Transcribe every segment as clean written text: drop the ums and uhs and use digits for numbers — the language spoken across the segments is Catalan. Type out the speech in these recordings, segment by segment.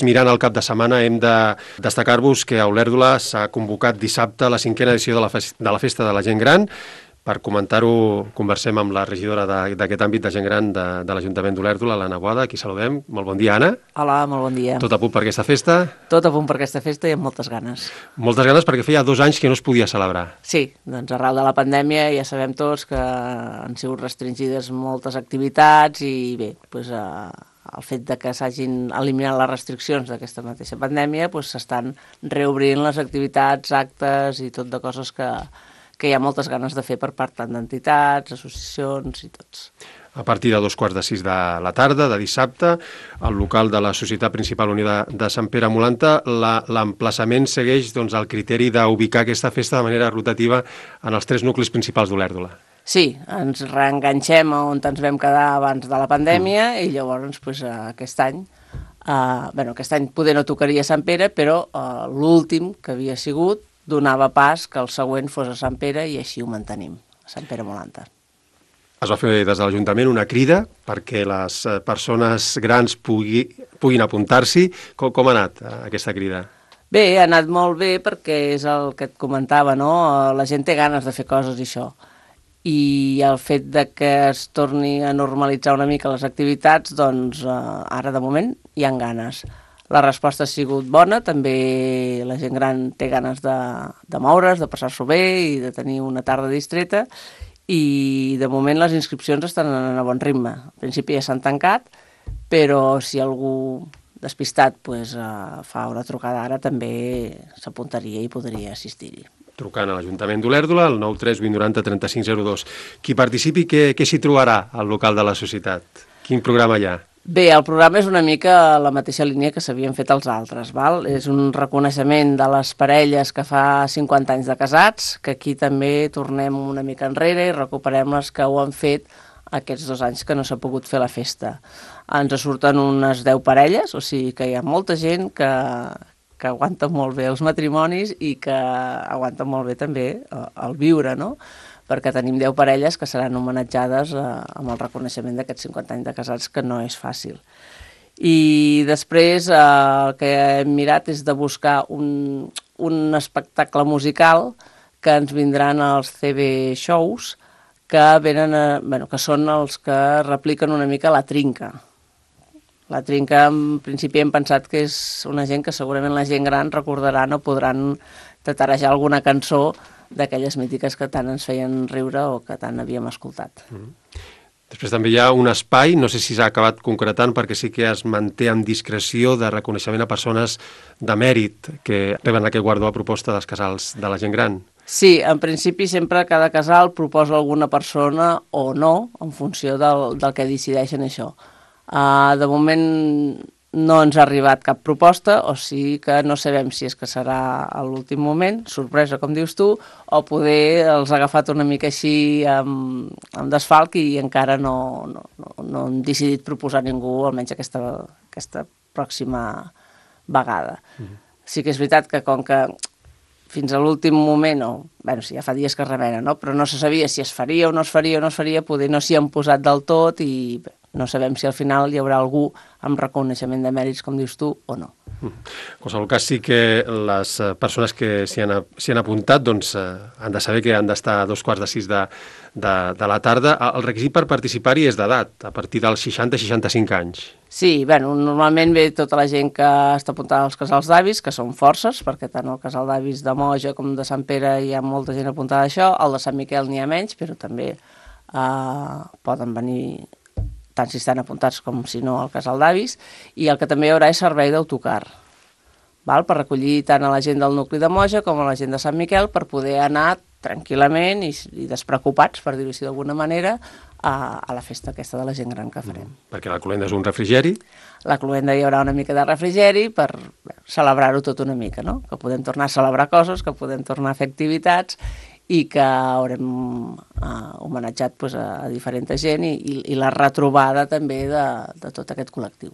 Mirant el cap de setmana, hem de destacar-vos que a Olèrdola s'ha convocat dissabte la 5a edició de la Festa de la Gent Gran. Per comentar-ho, conversem amb la regidora d'aquest àmbit de gent gran de l'Ajuntament d'Olèrdola, l'Anna Boada. Aquí saludem. Molt bon dia, Anna. Hola, molt bon dia. Tot a punt per aquesta festa? Tot a punt per aquesta festa i amb moltes ganes. Moltes ganes perquè feia 2 anys que no es podia celebrar. Sí, doncs arrel de la pandèmia ja sabem tots que han sigut restringides moltes activitats i bé, doncs, el fet de que s'hagin eliminat les restriccions d'aquesta mateixa pandèmia, doncs s'estan reobrint les activitats, actes i tot de coses que hi ha moltes ganes de fer per part tant d'entitats, associacions i tots. A partir de 2:15 de la tarda, de dissabte, al local de la Societat Principal Unida de Sant Pere Molanta, l'emplaçament segueix el criteri d'ubicar aquesta festa de manera rotativa en els 3 nuclis principals d'Olèrdola. Sí, ens reenganxem on ens vam quedar abans de la pandèmia i llavors aquest any, aquest any poder no tocaria Sant Pere, però l'últim que havia sigut donava pas que el següent fos a Sant Pere i així ho mantenim, a Sant Pere Molanta. Es va fer des de l'Ajuntament una crida perquè les persones grans puguin apuntar-s'hi. Com ha anat aquesta crida? Bé, ha anat molt bé perquè és el que et comentava, no? La gent té ganes de fer coses i això. I el fet de que es torni a normalitzar una mica les activitats, doncs ara de moment hi ha ganes. La resposta ha sigut bona, també la gent gran té ganes de moure's, de passar-s'ho bé i de tenir una tarda distreta i de moment les inscripcions estan en a bon ritme. Al principi ja s'han tancat, però si algú despistat fa una trucada ara també s'apuntaria i podria assistir-hi. Trucant a l'Ajuntament d'Olèrdola, al 93 890 3502. Qui participi, què s'hi trobarà al local de la societat? Quin programa hi ha? Bé, el programa és una mica la mateixa línia que s'havien fet els altres, val? És un reconeixement de les parelles que fa 50 anys de casats, que aquí també tornem una mica enrere i recuperem les que ho han fet aquests 2 anys que no s'ha pogut fer la festa. Ens surten unes 10 parelles, o sigui que hi ha molta gent que aguanta molt bé els matrimonis i que aguanta molt bé també el viure, no? Perquè tenim 10 parelles que seran homenatjades amb el reconeixement d'aquests 50 anys de casats, que no és fàcil. I després el que hem mirat és de buscar un espectacle musical que ens vindran als CB Shows, que són els que repliquen una mica la trinca. La trinca, en principi, hem pensat que és una gent que segurament la gent gran recordaran o podran tatarejar alguna cançó d'aquelles mítiques que tant ens feien riure o que tant havíem escoltat. Després també hi ha un espai, no sé si s'ha acabat concretant, perquè sí que es manté amb discreció de reconeixement a persones de mèrit que reben aquest guardó a proposta dels casals de la gent gran. Sí, en principi sempre cada casal proposa alguna persona o no, en funció del que decideixen això. De moment no ens ha arribat cap proposta, o sigui que no sabem si és que serà a l'últim moment, sorpresa, com dius tu, o poder els ha agafat una mica així amb desfalc i encara no hem decidit proposar ningú, almenys aquesta pròxima vegada. Sí que és veritat que com que fins a l'últim moment, ja fa dies que es remena, no? Però no se sabia si es faria o no es faria, poder no s'hi han posat del tot i no sabem si al final hi haurà algú amb reconeixement de mèrits, com dius tu, o no. En qualsevol cas, sí que les persones que s'hi han apuntat han de saber que han d'estar a 2:15 de la tarda. El requisit per participar-hi és d'edat, a partir dels 60-65 anys. Sí, normalment ve tota la gent que està apuntada als casals d'avis, que són forces, perquè tant el casal d'avis de Moja com de Sant Pere hi ha molta gent apuntada a això, el de Sant Miquel n'hi ha menys, però també poden venir tant si estan apuntats com si no al casal d'avis, i el que també hi haurà és servei d'autocar, per recollir tant a la gent del nucli de Moja com a la gent de Sant Miquel per poder anar tranquil·lament i despreocupats, per dir-ho així d'alguna manera, a la festa aquesta de la gent gran que farem. Perquè la cloenda és un refrigeri? La cloenda hi haurà una mica de refrigeri per celebrar-ho tot una mica, no? Que podem tornar a celebrar coses, que podem tornar a fer activitats i que haurem homenatjat a diferent gent i la retrobada també de tot aquest col·lectiu.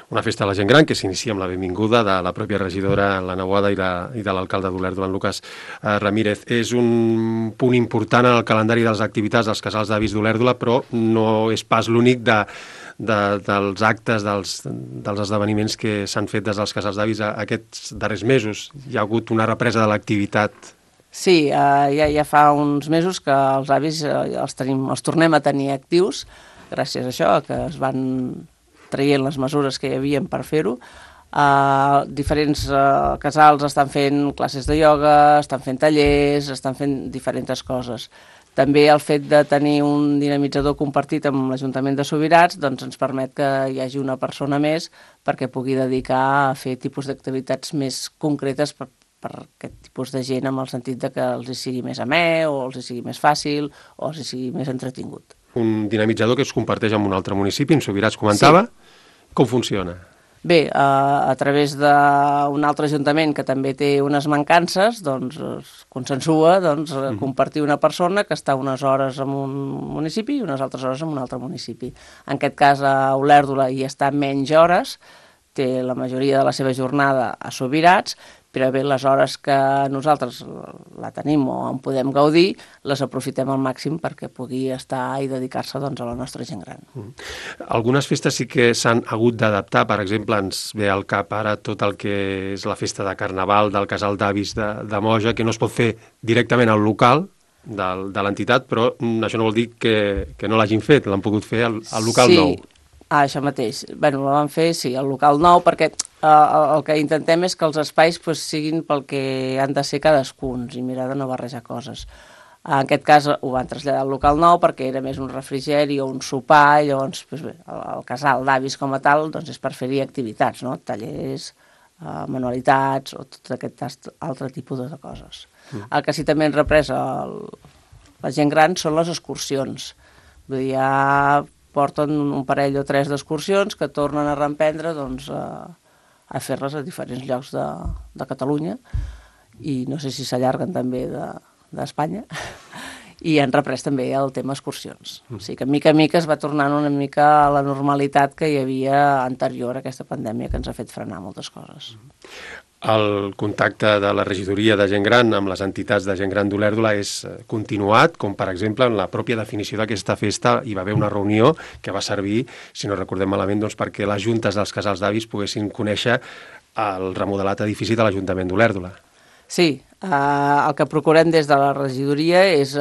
Una festa de la gent gran que s'inicia amb la benvinguda de la pròpia regidora, l'Anna Boada, i de l'alcalde d'Olèrdola, en Lucas Ramírez. És un punt important en el calendari de les activitats dels casals d'avis d'Olèrdola, però no és pas l'únic dels actes, dels esdeveniments que s'han fet des dels casals d'avis aquests darrers mesos? Hi ha hagut una represa de l'activitat? Sí, ja fa uns mesos que els avis els tornem a tenir actius, gràcies a això, que es van traient les mesures que hi havia per fer-ho. Diferents casals estan fent classes de ioga, estan fent tallers, estan fent diferents coses. També el fet de tenir un dinamitzador compartit amb l'Ajuntament de Subirats doncs ens permet que hi hagi una persona més perquè pugui dedicar a fer tipus d'activitats més concretes per aquest tipus de gent, amb el sentit de que els hi sigui més amè o els hi sigui més fàcil o els hi sigui més entretingut. Un dinamitzador que es comparteix amb un altre municipi, en Subirats comentava. Sí. Com funciona? Bé, a través d'un altre ajuntament que també té unes mancances, doncs es consensua compartir una persona que està unes hores en un municipi i unes altres hores en un altre municipi. En aquest cas, a Olèrdola hi està menys hores, té la majoria de la seva jornada a Subirats, però bé, les hores que nosaltres la tenim o en podem gaudir, les aprofitem al màxim perquè pugui estar i dedicar-se a la nostra gent gran. Algunes festes sí que s'han hagut d'adaptar, per exemple, ens ve al cap ara tot el que és la festa de Carnaval del Casal d'Avis de Moja, que no es pot fer directament al local de l'entitat, però això no vol dir que no l'hagin fet, l'han pogut fer al local nou. Això mateix. Bé, la vam fer, sí, al local nou, perquè el que intentem és que els espais siguin pel que han de ser cadascuns i mirar de no barrejar coses. En aquest cas ho van traslladar al local nou perquè era més un refrigeri o un sopar, llavors el casal d'avis com a tal és per fer-hi activitats, no? Tallers, manualitats o tot aquest altre tipus de coses. El que sí també ens represa la gent gran són les excursions. Vull dir, ja porten un parell o tres d'excursions que tornen a reemprendre a fer-les a diferents llocs de Catalunya i no sé si s'allarguen també d'Espanya i han reprès també el tema excursions. O sigui que mica en mica es va tornant una mica a la normalitat que hi havia anterior a aquesta pandèmia que ens ha fet frenar moltes coses. El contacte de la regidoria de gent gran amb les entitats de gent gran d'Olèrdola és continuat, com per exemple en la pròpia definició d'aquesta festa hi va haver una reunió que va servir, si no recordem malament, perquè les juntes dels casals d'avis poguessin conèixer el remodelat edifici de l'Ajuntament d'Olèrdola. Sí, el que procurem des de la regidoria és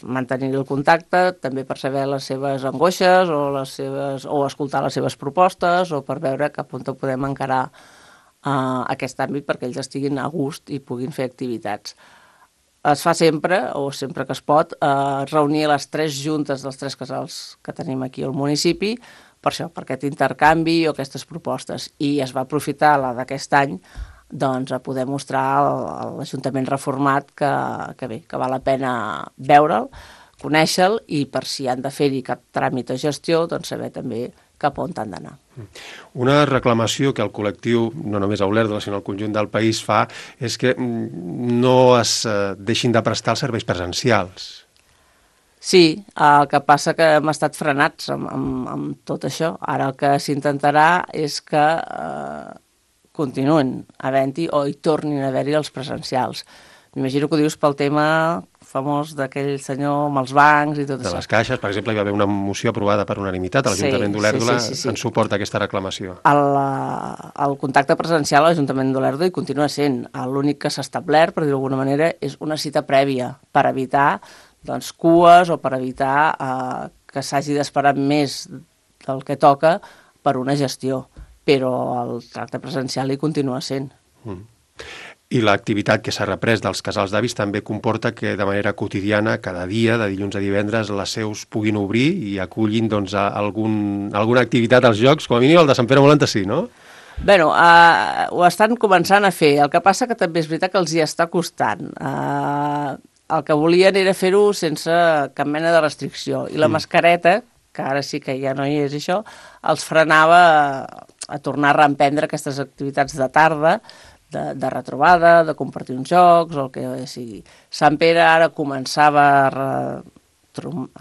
mantenir el contacte, també per saber les seves angoixes o escoltar les seves propostes o per veure cap on podem encarar aquest àmbit perquè ells estiguin a gust i puguin fer activitats. Es fa sempre, o sempre que es pot, reunir les tres juntes dels tres casals que tenim aquí al municipi per això, per aquest intercanvi o aquestes propostes. I es va aprofitar la d'aquest any a poder mostrar a l'Ajuntament reformat que val la pena veure'l, conèixer-lo i per si han de fer-hi cap tràmit o gestió, saber també cap on han d'anar. Una reclamació que el col·lectiu, no només a Olèrdola, sinó al conjunt del país fa, és que no es deixin de prestar els serveis presencials. Sí, el que passa que hem estat frenats amb tot això. Ara el que s'intentarà és que continuïn havent-hi o hi tornin a haver-hi els presencials. M'imagino que ho dius pel tema famós d'aquell senyor amb els bancs i tot això. De les caixes, per exemple, hi va haver una moció aprovada per unanimitat a l'Ajuntament d'Olèrdola en suport a aquesta reclamació. El contacte presencial a l'Ajuntament d'Olèrdola hi continua sent. L'únic que s'ha establert, per dir-ho d'alguna manera, és una cita prèvia per evitar cues o per evitar que s'hagi d'esperar més del que toca per una gestió. Però el tracte presencial hi continua sent. I l'activitat que s'ha reprès dels casals d'avis també comporta que de manera quotidiana, cada dia, de dilluns a divendres, les seus puguin obrir i acullin alguna activitat als jocs, com a mínim el de Sant Pere Molt sí, no? Bé, ho estan començant a fer. El que passa que també és veritat que els hi està costant. El que volien era fer-ho sense cap mena de restricció. I la mascareta, que ara sí que ja no hi és això, els frenava a tornar a reemprendre aquestes activitats de tarda, de retrobada, de compartir uns jocs o el que sigui. Sant Pere ara començava a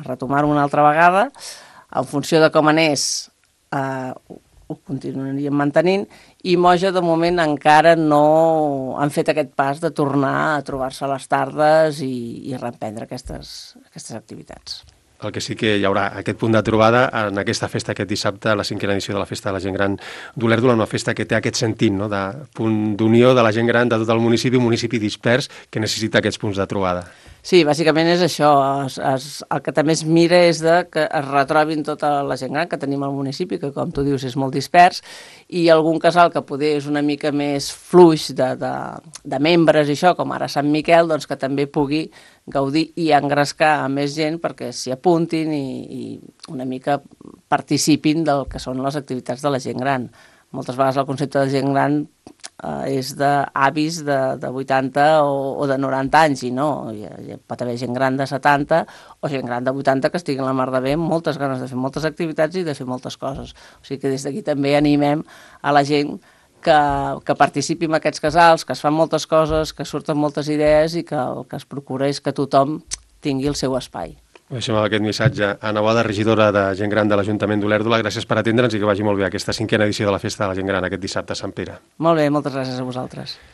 retomar-ho una altra vegada. En funció de com anés, ho continuaríem mantenint, i Moja de moment encara no han fet aquest pas de tornar a trobar-se a les tardes i reemprendre aquestes activitats. El que sí que hi haurà aquest punt de trobada en aquesta festa aquest dissabte, la 5a edició de la Festa de la Gent Gran d'Olèrdola, una festa que té aquest sentit, no?, de punt d'unió de la gent gran de tot el municipi, un municipi dispers que necessita aquests punts de trobada. Sí, bàsicament és això. El que també es mira és que es retrobin tota la gent gran que tenim al municipi, que com tu dius és molt dispers, i algun casal que poder és una mica més fluix de membres i això, com ara Sant Miquel, doncs que també pugui gaudir i engrescar a més gent perquè s'hi apuntin i una mica participin del que són les activitats de la gent gran. Moltes vegades el concepte de gent gran és d'avis de 80 o de 90 anys i no, hi pot haver gent gran de 70 o gent gran de 80 que estigui en la mar de bé amb moltes ganes de fer moltes activitats i de fer moltes coses. O sigui que des d'aquí també animem a la gent que participi en aquests casals, que es fan moltes coses, que surten moltes idees i que el que es procura és que tothom tingui el seu espai. Deixem aquest missatge. Anna Boada, regidora de Gent Gran de l'Ajuntament d'Olèrdola, gràcies per atendre'ns i que vagi molt bé aquesta 5a edició de la Festa de la Gent Gran aquest dissabte a Sant Pere. Molt bé, moltes gràcies a vosaltres.